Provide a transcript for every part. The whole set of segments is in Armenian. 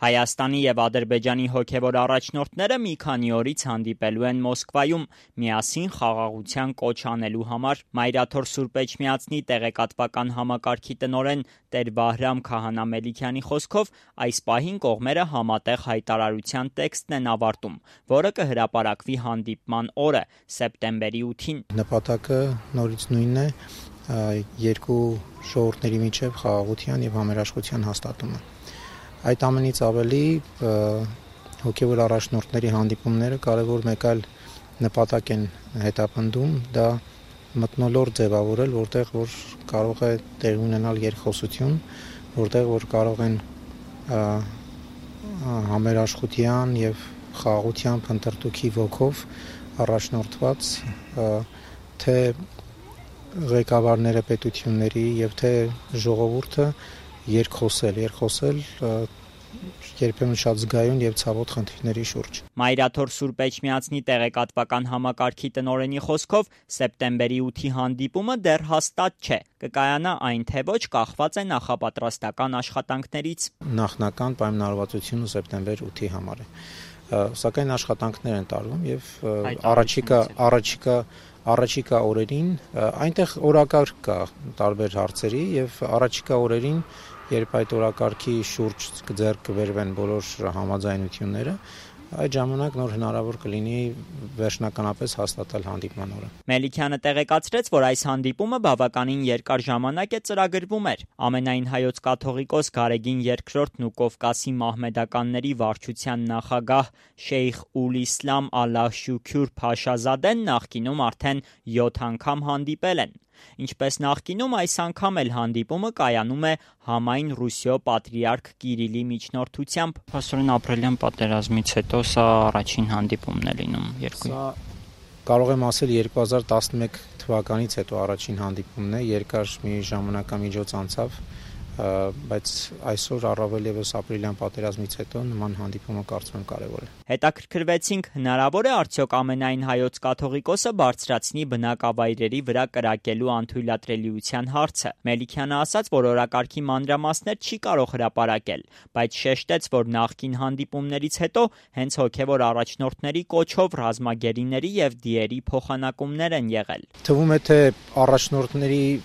Հայաստանի եւ Ադրբեջանի հոգեվոր առաջնորդները մի քանի օրից հանդիպելու են Մոսկվայում միասին խաղաղության կոչ անելու համար։ Մայրաթոր Սուրբ Էջմիածնի տեղեկատվական համակարգի տնօրեն Տեր Վահրամ Քահանա-Մելիքյանի խոսքով այս պահին կողմերը համատեղ հայտարարության տեքստն են ավարտում, որը կհրապարակվի հանդիպման օրը՝ սեպտեմբերի 8-ին։ Նպատակը նորից նույնն է՝ երկու ժողովուրդների միջև խաղաղության եւ համերաշխության հաստատումը։ Այդ ամենից ավելի հոգեվոր առաջնորդների հանդիպումները կարևոր մեկ այլ նպատակ են հետապնդում, դա մթնոլորտ ձևավորել, որտեղ որ կարող է տեղի ունենալ երկխոսություն, որտեղ որ կարող են համերաշխության եւ խաղաղության փնտրտուքի ոգով առաջնորդված թե ղեկավարները պետությունների եւ թե ժողովուրդը երկխոսել երբեմն շատ զգայուն եւ ցավոտ խնդիրների շուրջ։ Մայրաթոր Սուրբ Էջմիածնի տեղեկատվական համակարգի տնօրենի խոսքով սեպտեմբերի 8-ի հանդիպումը դեռ հաստատ չէ։ Կկայանա այն թե ոչ կախված է նախապատրաստական աշխատանքներից։ Նախնական պայմանավորվածությունը սեպտեմբեր 8-ի համար է։ Սակայն աշխատանքներ են տարվում եւ առաջիկա օրերին այնտեղ օրակարգ կա տարբեր հարցերի եւ առաջիկա օրերին, երբ այդ օրակարգի շուրջ ձեռք կբերվեն բոլոր համաձայնությունները, այդ ժամանակ նոր հնարավոր կլինի վերջնականապես հաստատել հանդիպման օրը։ Մելիքյանը տեղեկացրեց, որ այս հանդիպումը բավականին երկար ժամանակ է ծրագրվում էր։ Ամենայն հայոց կաթողիկոս Գարեգին II-ն ու Կովկասի մահմեդականների վարչության նախագահ Շեյխ Ուլ Իսլամ Ալլահ Շուքյուր Փաշազադեն նախկինում արդեն 7 անգամ հանդիպել են։ Ինչպես նախկինում, այս անգամ էլ հանդիպումը կայանում է համայն Ռուսիո պատրիարք Կիրիլի միջնորդությամբ։ Փաստորեն ապրիլյան պատերազմից հետո սա առաջին հանդիպումն է լինում երկու։ Սա կարող եմ ասել 2011 թվականից հետո առաջին հանդիպումն է, երկար մի ժամանակամիջոց անցավ, բայց այսօր առավել եւս ապրիլյան պատերազմից հետո նման հանդիպումը կարծում եմ կարևոր է։ Հետաքրքրվեցինք, հնարավոր է արդյոք ամենայն հայոց կաթողիկոսը բարձրացնի բնակավայրերի վրա կրակելու անթույլատրելիության հարցը։ Մելիքյանը ասաց, որ օրակարգի մանրամասներ չի կարող հրապարակել, բայց շեշտեց, որ նախկին հանդիպումներից հետո հենց հոգեվոր առաջնորդների կոչով ռազմագերիների եւ դիերի փոխանակումներ են եղել։ Թվում է, թե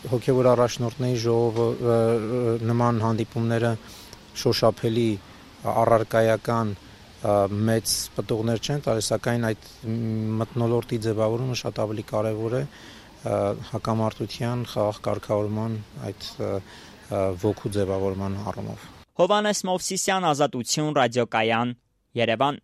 հոգեվոր առաջնորդների ժողովը նման հանդիպումները շոշափելի առարկայական մեծ պտուղներ չեն տալիս, սակայն այդ մթնոլորտի ձևավորումը շատ ավելի կարևոր է հակամարտության, խաղաղ կարգավորման, այդ ոգու ձևավորման առումով։ Հովհաննես Մովսիսյան, Ազատություն, Ռադիոկայան, Երևան։